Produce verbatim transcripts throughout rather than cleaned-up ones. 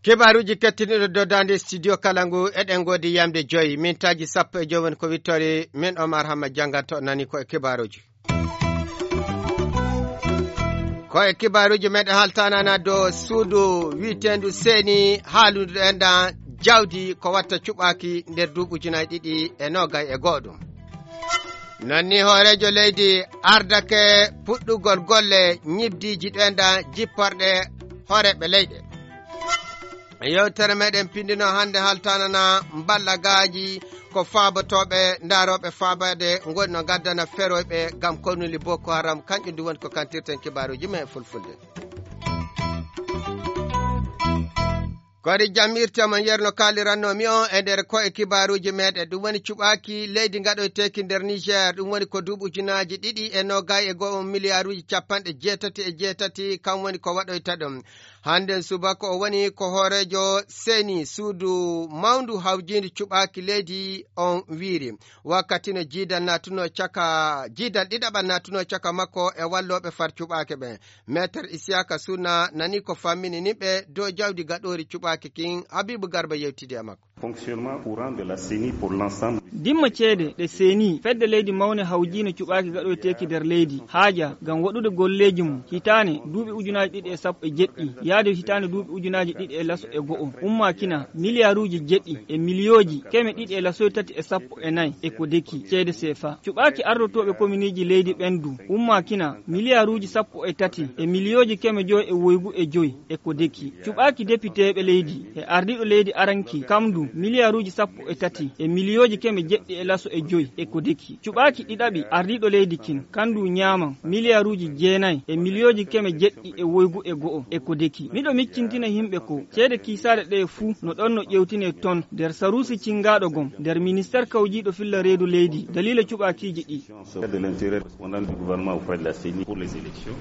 Kibaaruuji kettiniiɗo doddaande studio kala ngu, eɗen ngoodi yamde joyi mintaaji sappo e joyi woni ko wittoore. Min Omar Hamma jannganto nani ko e kibaaruuji. Ko e kibaaruuji meɗen haltanana dow suudu witeendu seeni haalundu enɗan jawdi ko watta cuɓaaki nder duuɓi ujunaaji ɗiɗi e noogay e go'o ɗum. Non ni hooreejo leydi ardake puɗɗugol golle ñibdiiji ɗenɗan jipporɗe hooreeɓe leyɗe. Yewtere meɗen pindino hannde haltanana mballagaaji ko faabotooɓe ndaarooɓe faabaade ngoni no ngaddana feroyɓe ngam konuli Boko Haram, kanƴum ndu woni ko kantirten kibaaruuji men e fulfulde. Kori jamirte mon yerno kaalirannoomi on e nder ko e kibaaruuji meɗen. Ɗum woni cuɓaaki leydi ngaɗoyteeki nder Niger. Ɗum woni ko duuɓi ujunaaji ɗiɗi e noogay e go'o miliyaaruuji capanɗe jeetati e jeetati. Kam woni ko waɗoyta ɗum. Hannde subaka o woni ko hooreejo seni suudu mawndu hawjiindu cuɓaaki leydi on wiiri. Wakkati no jiidal naatuno caka, jiidal ɗiɗaɓal naatuno caka makko e wallooɓe far cuɓaake ɓen. Meeter Isiyaka Suna nani ko fammini nimɓe dow jawdi gaɗoori cuɓaaki kin. Habibu Garba yewtidi e makko. Fonctionnement courant de la ceni pour l'ensemble. Dimma ceede ɗe seni fedde leydi mawne hawjiino cuɓaaki gaɗoyteeki nder leydi haaja ngam waɗude golleeji mum hitaane duuɓi ujunaaji ɗiɗi e sappo e jeɗɗi yaade hitaane duuɓi ujunaaji ɗiɗi e laso e go'o ummaakina miliyaaruuji jeɗɗi e miliyooji keme ɗiɗi e lasoy tati e sappo e nayi e ko deki ceede seefa. Cuɓaaki ardotooɓe kominiiji leydi ɓen du ummaakina miliyaaruuji sappo e tati e miliyooji keme joy e woygu e joy e ko deki. Cuɓaaki depiteeɓe leydi e ardiiɗo leydi aranki kam du miliyaaruuji sappo e tati e miliyooji keme jeɗɗi e laso e joy e ko deki. Cuɓaaki ɗiɗaɓi ardiiɗo leydi kin kan du ñaaman miliyaaruuji jeenayi e miliyooji keme jeɗɗi e woygu e go'o e ko deki. Miɗo miccintina yimɓe ko ceede kiisaɗe ɗe fuu no ɗon no ƴewtine ton nder saruusi cingaaɗo gom nder ministeer kawjiiɗo filla reedu leydi daliila cuɓaakiiji ɗi. De l'intérieur correspondant du gouvernement auprès de la ceni pour les élections.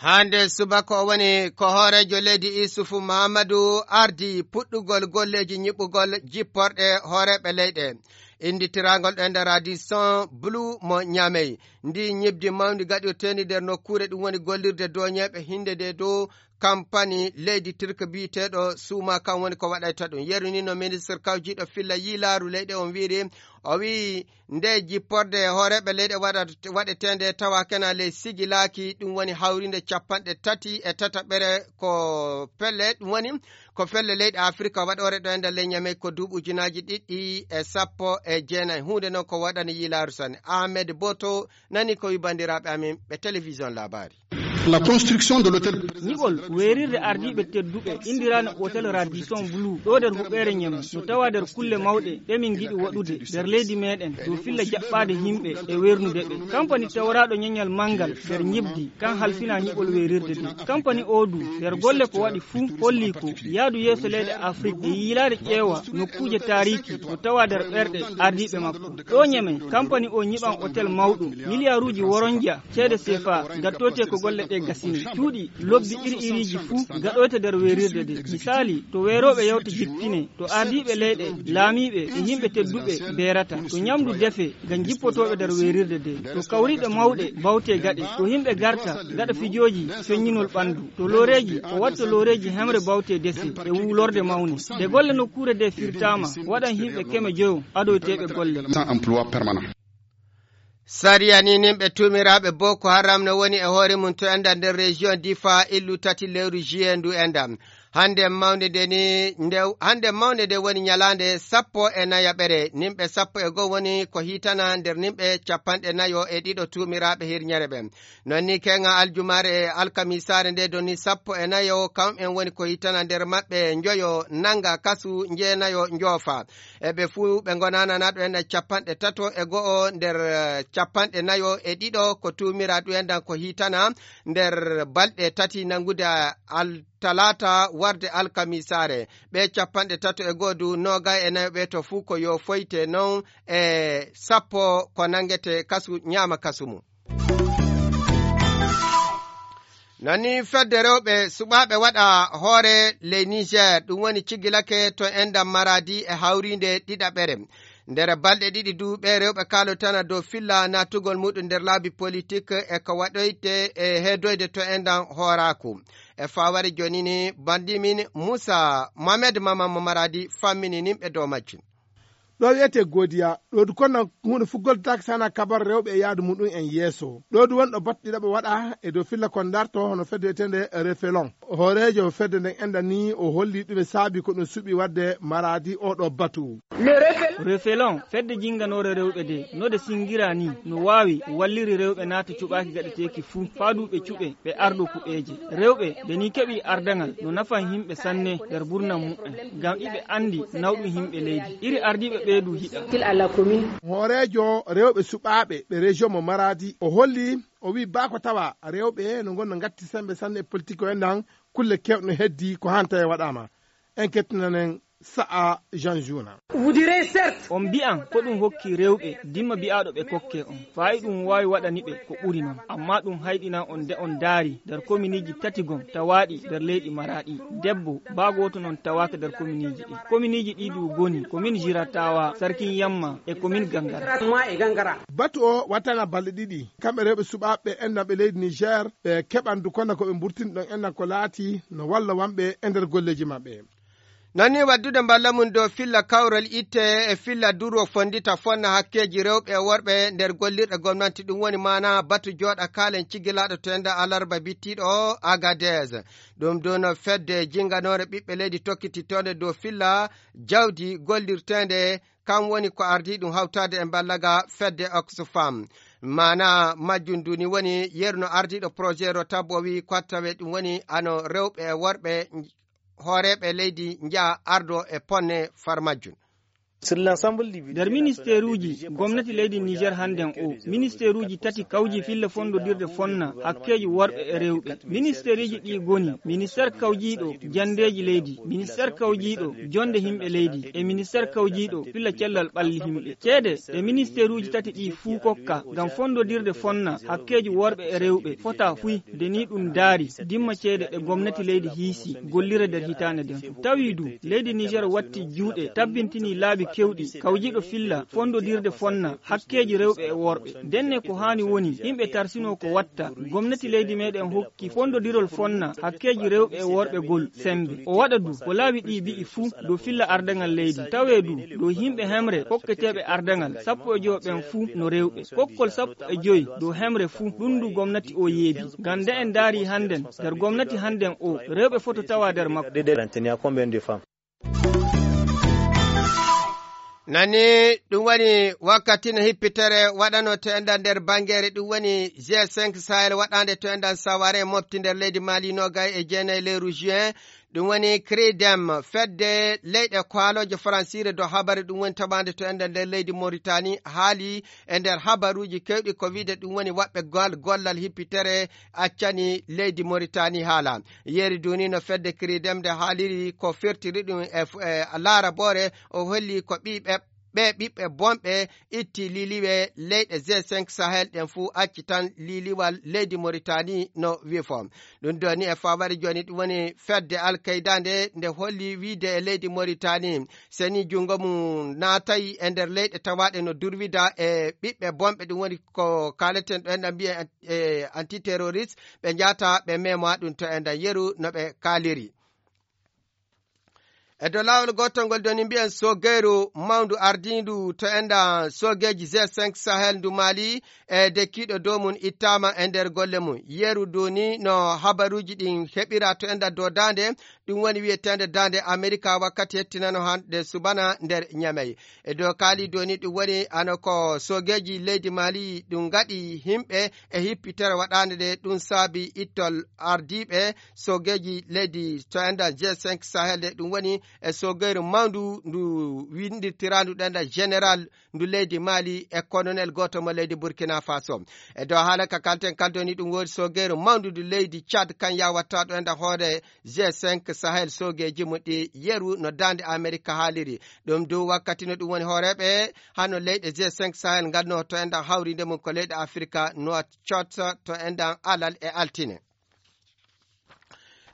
Hande subaka o woni ko hooreejo leydi Isufu Mahamadu ardi puɗɗugol golleeji ñiɓɓugol jipporɗe hooreeɓe leyɗe. Innditiraangol ɗo e nder Radisson Blu mo Ñamey. Ndi ñibdi mawndi gaɗirteeni nder nokkuure ɗum woni gollirde doñeeɓe hinde de dow kampani leydi Turk biyeteeɗo Suuma kan woni ko waɗayta ɗum. Yeru ni no ministre kawjiiɗo filla yiilaaru leyɗe on wiiri, o wi'i nde jipporde hooreeɓe leyɗe waɗa-, waɗeteende tawa kena ley sigilaaki, ɗum woni hawrinde capanɗe tati e tataɓere ko pelle, ɗum woni ko pelle leyɗe Afirka waɗoore ɗo e nder ley Ñamey ko duuɓi ujunaaji ɗiɗi e sappo e jeenayi. Huunde noon ko waɗani yiilaaru sanne. Ahmed Boto nani ko wi banndiraaɓe amin ɓe télévision Labari. La construction de l'hôtel. Ñiɓol weerirde ardiiɓe tedduɓe inndirano Hôtel Radisson Blu ɗo nder huɓeere Ñamey no tawa nder kulle mawɗe ɗe min ngiɗi waɗude nder leydi meɗen dow filla jaɓɓaade yimɓe e weernude ɓe. Kampani tawraaɗo ñañal manngal nder ñibdi kan halfina ñiɓol weerirde nde. Kampani o du nder golle ko waɗi fuu holli ko yaadu yeeso leyɗe Afrik e yiilaade ƴeewa nokkuuje taariiki no tawa nder ɓerɗe ardiiɓe makko. Ɗo Ñamey, kampani o ñiɓan otel mawɗo, miliyaaruuji woronja ceede sefa, gattoyte ko golle ɗe gasini. Cuuɗi lobbi iri iriiji fuu gaɗoyte nder weerirde nde. Misaali, to weerooɓe yawta jippine, to ardiiɓe leyɗe, laamiiɓe e yimɓe tedduɓe beerata, to ñamdu defe ngam jippotooɓe nder weerirde nde, to kawriiɗe mawɗe bawte gaɗe, to yimɓe garta gaɗa fijooji feññinol ɓanndu, to looreeji, o watta looreeji hemre bawte dese e wuulorde mawne. Nde golle nokkuure nde firtaama, waɗan yimɓe keme joyo adoyteeɓe golle. Sans emploi permanent. Sariya ni nimɓe tuumiraaɓe Boko Haram no woni e hoore mum to enda nder région Difa illu tati lewru juillet ndu enda. Hande mawnde nde ni, nde, hande mawnde nde woni ñalaande sappo e nayaɓere. Nimɓe sappo e goo woni ko hiitana nder nimɓe capanɗe nayo e ɗiɗo tuumiraaɓe hirñere ɓen. Non ni keŋa aljumaare e alkamisaare nde doni sappo e nayo, kam'en woni ko hiitana nder maɓɓe njoyo nanga kasu, njeenayo njoofa. E ɓe fuu ɓe ngonana naɗo en capanɗe tato e go'o nder, eh, capanɗe nayo e ɗiɗo ko tuumira ɗum en dan ko hiitana nder balɗe tati nangude al-, talaata warde alkamisaare. Ɓe capanɗe tato e go'o du noogay e nayo ɓe to fuu ko yo foyte non e sappo ko nangete kasu, ñaama kasu mum. Non ni fedde rewɓe suɓaaɓe waɗa hoore ley Niger, ɗum woni cigilake to endam Maradi e hawriinde ɗiɗaɓere. Nder balɗe ɗiɗi du, ɓe rewɓe kaalotana dow filla naatugol muɗum nder laabi politik e ko waɗoyte e heedoyde to enɗan hooraaku. E faaware jooni ni, banndi min Muusa Mohamed Mama mo Maradi fammini nimɓe dow majjum. Ɗo wiyetee Godiya, ɗo du kono huunde fuggol taake sana kabar rewɓe e yaadu muɗum en yeeso. Ɗo du wonɗo battuɗi ɗaɓa waɗa e dow filla kon darto hono fedde wiyetende Refelon. Hooreejo fedde nden enɗan ni o holli ɗume saabi ko ɗum suɓi waɗde Maradi oɗo batu. Refelon, fedde jinnganoore rewɓe de, no de singira ni, no waawi walliri rewɓe naata cuɓaaki gaɗeteeki fuu, faa du ɓe cuɓe, ɓe ardo kuɓeeje. Rewɓe, de ni keɓi ardaŋal, no nafan himɓe sanne nder burnan mu'en, ngam iɓe anndi nawɗum himɓe leydi. Iri ardiiɓe ɓee du hiɗa. Hooreejo rewɓe suɓaaɓe ɓe région mo Maradi, o holli, o wi baa ko tawa rewɓe no ngonno ngatti sembe sanne e politik o enɗan, kulle kewɗe no heddi ko hanta e waɗaama. En kettinanen sa'a Jean Juna. On mbi'an ko ɗum hokki rewɓe dimma bi'aaɗo ɓe kokke on. Faayi ɗum waawi waɗani ɓe ko ɓuri non. Amma ɗum hayɗinan on nde on ndaari nder kominiiji tati gom tawaaɗi nder leydi Maraaɗi. Debbo baa gooto non tawaaka nder kominiiji ɗi. Kominiiji ɗi du goni, komin Jiratawa, Sarkin Yamma e komin Gangara. Batu o wattana balɗe ɗiɗi. Kamɓe rewɓe suɓaaɓe enɗan ɓe leydi Niger, ɓe keɓan du kono ko ɓe mburtini ɗon enɗan ko laati no walla wanɓe e nder golleeji maɓɓe. Nani waddude mballa mum dow filla kawral itte e filla durwo fondita fonna hakkeeji rewɓe e worɓe nder gollirɗe gomnanti. Ɗum woni maana batu jooɗa kaalen cigilaaɗo to enda alarba bittiiɗo o Agadez. Ɗum ɗon fedde jinganoore ɓiɓɓe leydi tokkitittoonde dow filla jawdi gollirteende, kam woni ko ardii ɗum hawtaade e mballaga fedde Oxfam. Maana majjum duni woni yeru no ardiiɗo projet Rotab o wii ko tawe ɗum woni ano rewɓe e worɓe hooreeɓe leydi njaha ardo e ponne far majjum. Nder ministeeruuji gomnati leydi Niger hannden o, ministeeruuji tati kawji filla fonndodirde fonna hakkeeji worɓe e rewɓe. Ministeeruuji ɗi goni ministeer kawjiiɗo janndeeji leydi, ministeer kawjiiɗo jonnde himɓe leydi, e ministeer kawjiiɗo filla cellal ɓalli himɓe. Ceede ɗe ministeeruuji tati ɗi fuu kokka ngam fonndodirde fonna hakkeeji worɓe e rewɓe fota fuy. Nde ni ɗum daari, dimma ceede ɗe gomnati leydi hiisi gollira nder hitaande nden. Tawi du, leydi Niger watti juuɗe, tabbintini laabi kewɗi, kawjiiɗo filla, fonndodirde fonna, hakkeeji rewɓe e worɓe. Ndenne ko haani woni, yimɓe tarsinoo ko watta, gomnati leydi meɗen hokki fonndodirol fonna, hakkeeji rewɓe e worɓe gol sembe. O waɗa du, ko laabi ɗi bi'i fuu, dow filla ardaŋal leydi. Tawee du, dow yimɓe hemre, kokketeeɓe ardaŋal, sappo e jowo ɓen fuu no rewɓe. Kokkol sappo e jowi dow hemre fuu, ɗum ndu gomnati o yeebi. Ngam nde en ndaari hannden, nder gomnati hannden o, rewɓe foto tawa nder makko. Nani, ɗum woni wakkati no hippitere waɗano to enɗan nder bangeere, ɗum woni G cinq Sahel waɗande to enɗan Saware mofti nder leydi Mali nogay e jeenayi lewru juin. Ɗum woni Cridem, fedde leyɗe kaalooje faransiire dow habari, ɗum woni taɓaande to enɗan nder leydi Mauritanie, haali e nder habaruuji kewɗi ko wiide ɗum woni waɗɓe gal-, gollal hippitere accani leydi Mauritanie haala. Yeeri duni no fedde Cridem nde haaliri ko firtiri ɗum e f-, e laaraboore, o holli ko ɓiɓɓe ɓe ɓiɓɓe bonɓe itti liliwe leyɗe G cinq Sahel ɗen fuu acci tan liliwal leydi Mauritanie no wifo. Ɗum ɗo ni e fawari jooni ɗum woni fedde Al-Qaida nde, nde holli wiide e leydi Mauritanie seni junngo mum naatay e nder leyɗe tawaaɗe no durwida e ɓiɓɓe bonɓe, ɗum woni ko kaaleten ɗo enɗan mbiyen, e, antiterroriste, ɓe njaata ɓe mema ɗum to enɗan yeru no ɓe kaaliri. E dow laawol gootol ngol doni mbiyen sogeyru mawndu ardiindu to enɗan sogeeji G cinq Sahel ndu Mali e dekkiiɗo dow mum ittaama e nder golle mum. Yeru duni no habaruuji ɗin heɓira to enɗan dow daande, ɗum woni wiyeteende daande Amerika wakkati hettinano hannde subana nder Ñamey. E dow kaali doni ɗum woni ano ko sogeeji leydi Mali ɗum ngaɗi himɓe e hippitere waɗaande nde ɗum saabi ittol ardiiɓe sogeeji leydi to enɗan G cinq Sahel nde ɗum woni e sogeyru mawndu ndu windirtiraandu ɗenɗan général ndu leydi Mali e colonel gooto mo leydi Burkina Faso. E dow haala ka kalten kaldoni ɗum woodi sogeyru mawndu ndu leydi Tchad kan yawatta ɗo enɗan hoore G cinq Sahel sogeeji mum ɗi yeru no daande Amerika haaliri. Ɗum du wakkati no ɗum woni hooreeɓe hano leyɗe G cinq Sahel ngal no to enɗan hawrinde mum ko leyɗe Afrika no cotta to enɗan alal e altine.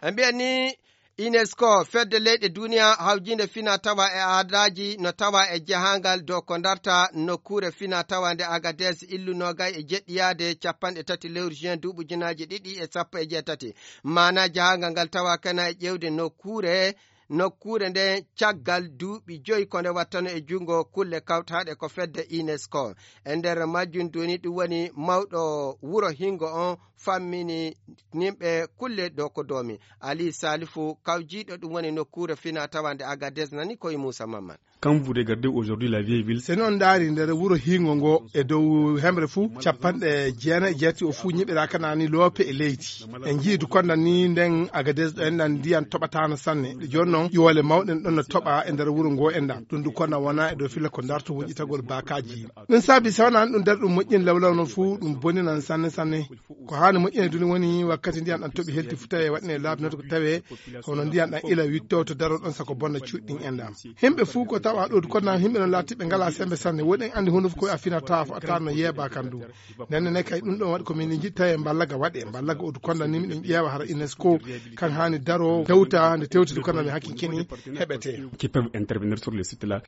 En mbiyan ni UNESCO, fedde leyɗe duniya hawjinde fina tawa e aadaaji no tawa e jahangal dow ko darta nokkuure fina tawa nde Agadez, illu noogay e jeɗɗiyaade capanɗe tati lewru juin duuɓi ujunaaji ɗiɗi e sappo e jeetati. Maana jahangal ngal tawa kana e ƴeewde nokkuure, nokkuure nde caggal duuɓi joyi ko nde wattano e junngo kulle kawtaaɗe ko fedde UNESCO. E nder majjum duni ɗum woni mawɗo wuro hingo on fammini nimɓe kulle dow ko doomi. Ali Salifu kawjiiɗo ɗum woni nokkuure fina tawande Agadez nani koye Moussa Mamman. Quand vous regardez aujourd'hui la vieille ville, so non ndaari nder wuro hingo ngo e dow hemre fuu capanɗe jeenayi e jeetati o fuu ñiɓiraaka nani loope e leydi. En njii du konda ni nden Agadez ɗo enɗan ndiyan toɓataano sanne. Jooni non yoole mawɗe ɗon no toɓa e nder wuro ngo enɗan. Ɗum du konda wona e dow filla ko darto woƴitagol baakaaji. Ɗum saabi so wonaa ɗum nder ɗum moƴƴin lawlaw non fuu ɗum boninan sanne sanne. Ko haani moƴƴinee duni woni wakkati ndiyan ɗan toɓi helti fu tawe waɗine laabi noto ko tawe hono ndiyan ɗan ila witto to daro ɗon sako bonna cuuɗi ɗin enɗan. Himɓe fuu ko tawa ɗo du konda himɓe non laatiɓe ngala sembe sanne. Woɗen andi hunde fof ko a finata fof a tan no yeeba kan du. Nden ne kay ɗum ɗon waɗi ko min jiɗta e mballaga waɗe. Mballaga o du konda ni miɗen ƴeewa hara UNESCO kan haani daro tewta nde tewti du konda mi hakki kini heɓete. Qui peuvent intervenir sur le site là.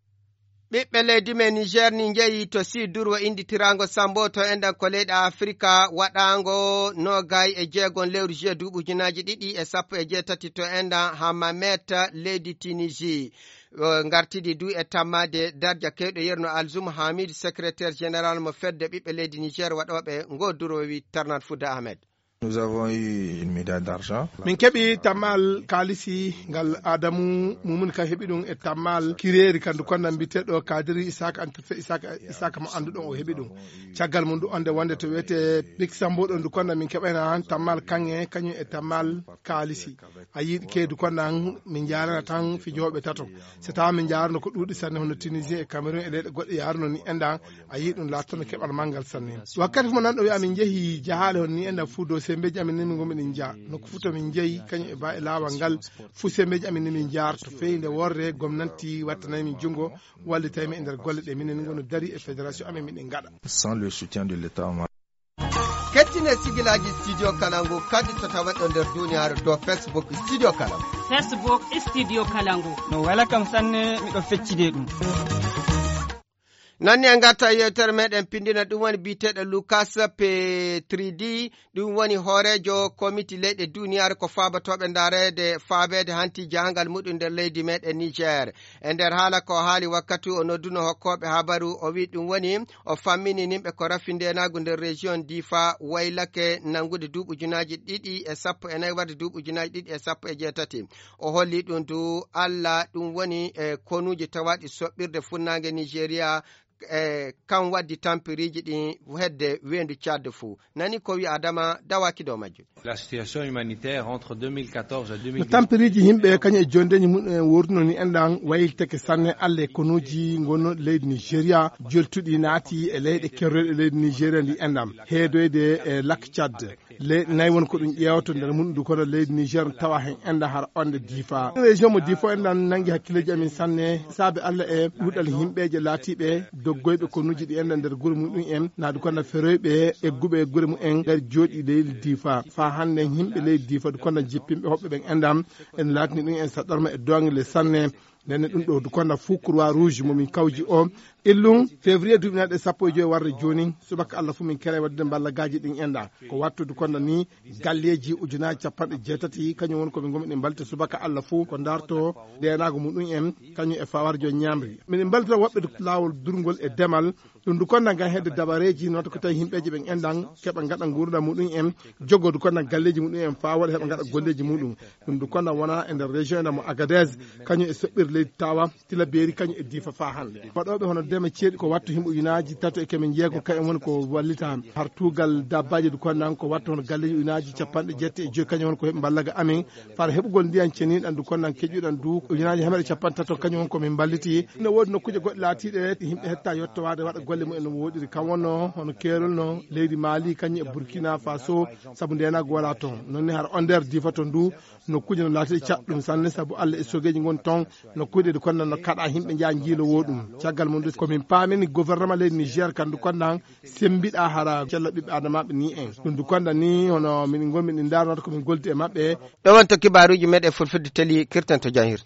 Ɓiɓɓe leydi men Niger ni njeyi to Sud Durwo inditiraango Sambo to enɗan ko leyɗe Afrika waɗaango noogay e jeegon lewru juillet duuɓi ujunaaji ɗiɗi e sappo e jeetati to enɗan Hammamet leydi Tunisie. O ngartidi du e tammaade darja kewɗo yerno Alzum Hamid, secrétaire général mo fedde ɓiɓɓe leydi Niger waɗooɓe ngo durwo wi Tarnat Fouda Ahmed. Nous avons eu une médaille d'argent. Min keɓi tammal kaalisi ngal Adamu Mumuni ka heɓi ɗum e tammal kireeri kandu konda mbiteɗo Kadiri Isaka Antafe Isaka Isaka mo annduɗon o heɓi ɗum. Caggal mum ɗum onde wonde to wiyete Big Sambo ɗon du konda min keɓayna han tammal kaŋŋe kañum e tammal kaalisi. A yiɗi keedu konda min njaarana tan fijooɓe tato. So tawa min njaarno ko ɗuuɗi sanne hono Tunisien e Cameroun e leyɗe goɗɗe yaaruno ni enɗan a yii ɗum laatano keɓal manngal sanne. Wakkati fof mo nanɗo wiya min njehi jahaale hon ni enɗan fuu dow sembeeji amin ni min ngomi ɗin njaa nokku fuu to min njehi kañum e ba e laawal ngal fuu sembeeji amin ni min njaarto feyi nde worre gomnanti wattanay min junngo wallitay min e nder golle ɗe minen ngonu dari e fédération amin miɗen ngaɗa. Sans le soutien de l'état. Kettine sigilaaji Studio Kalangu kadi to tawa ɗo nder duniyaaru dow Facebook Studio Kalangu. Facebook Studio Kalangu. No wela kam sanne miɗo feccide ɗum. Nanni en ngarta e yewtere meɗen pindina ɗum woni biyeteɗo Lucas Petridi, ɗum woni hooreejo komiti leyɗe duniyaaru ko faabotooɓe ndareede faabeede hanti jahangal muɗum nder leydi meɗen Niger. E nder haala ko haali wakkati o nodduno hokkooɓe habaru o wi ɗum woni o fammini nimɓe ko rafi ndenaagu nder région Difa waylake nangude duuɓi ujunaaji ɗiɗi e sappo e nayi warde duuɓi ujunaaji ɗiɗi e sappo e jeetati. O holli ɗum du Allah ɗum woni e konuuji tawaaɗi soɓɓirde funnaange Nigeria e kan waddi tampiriiji ɗin hedde weendu Tchad fuu. Nani ko wi Adama dawaki dow majjum. La situation humanitaire entre deux mille quatorze et deux mille dix. No tampiriiji yimɓe kañum e jondeeji mum en worduno ni enɗan waylitake sanne Allah e konuuji ngonnoɗi leydi Nigeria joltuɗi naati e leyɗe kerroɗe leydi Nigeria ndi enɗan heedoyde e lak Tchad. Leyɗe nayi won ko ɗum ƴeewto nder mum du kono leydi Niger tawa hen enɗan hara onde Difa. Région mo Difa enɗan nangi hakkileeji amin sanne saabe Allah e ɗuuɗal yimɓeeje laatiiɓe doggoyɓe konuuji ɗi enɗan nder gure muɗum en naadu kono feroyɓe egguɓe e gure mum en ngari jooɗi leydi Difa. Faa hannde yimɓe leydi Difa du kono jippinɓe hoɓɓe ɓen enɗan en laatini ɗum en saɗɗorma e doŋle sanne. Ndenne ɗum ɗo du kono fuu Croix Rouge mo min kawji o illum février duuɓi naɗe sappo e joyi warde jooni subaka Allah fuu min kere waddude mballagaaji ɗin enɗan ko wattude kono ni galleeji ujunaaji capanɗe jeetati kañum woni ko min ngomi ɗin mbalte subaka Allah fuu ko darto ndenaagu muɗum en kañum e fawarjo ñamri miɗen mbaltira woɓɓe laawol durngol e demal. Ɗum du konna ngam hedde dabareeji noto ko tawi yimɓeeji ɓen enɗan keɓa ngaɗa nguurndam muɗum en jogodu konna galleeji muɗum en faa waɗa heɓa ngaɗa golleeji muɗum. Ɗum du konna wona e nder région enɗan mo Agadez kañum e soɓɓir leydi tawa tila beeri kañum e diifa faa hannde waɗooɓe hono deme ceeɗi ko wattu yimɓe ujunaaji tato e kemin jeego kañum woni ko wallita har tuugal dabbaaji du konnan ko wattu hono galleeji ujunaaji capanɗe jetti e joyi kañum woni ko heɓi mballaga amin far heɓugol ndiyan ceniɗan du konnan keƴuɗan du ujunaaji hemeɗe capanɗe tato kañum woni ko min mballiti. No woodi nokkuuje goɗɗe laatiiɗe yimɓe hetta yettowaade waɗa golle mumen no woɗiri kam wonno hono keerol no leydi Mali kañum e Burkina Faso sabu ndenago wala toon nonni hara o nder diifa toon du nokkuuje no laatiiɗe caɗɗum sanne sabu Allah e sogeeji ngon toon. No Kuuɗe ɗi konnan no kaɗa yimɓe njaha njiilowoo ɗum. Caggal mum ɗum ko min paamini gouvernement leydi Niger kam ndu konnan sembiɗa hara cella ɓiɓɓe adamaaɓe ni en. Ɗum ndu konnan ni hono min ngonmi ɗi ndaarnata ko min goldi e maɓɓe. Ɗo wonto kibaaruuji meɗen fulfulde teli kirtanto janhirde.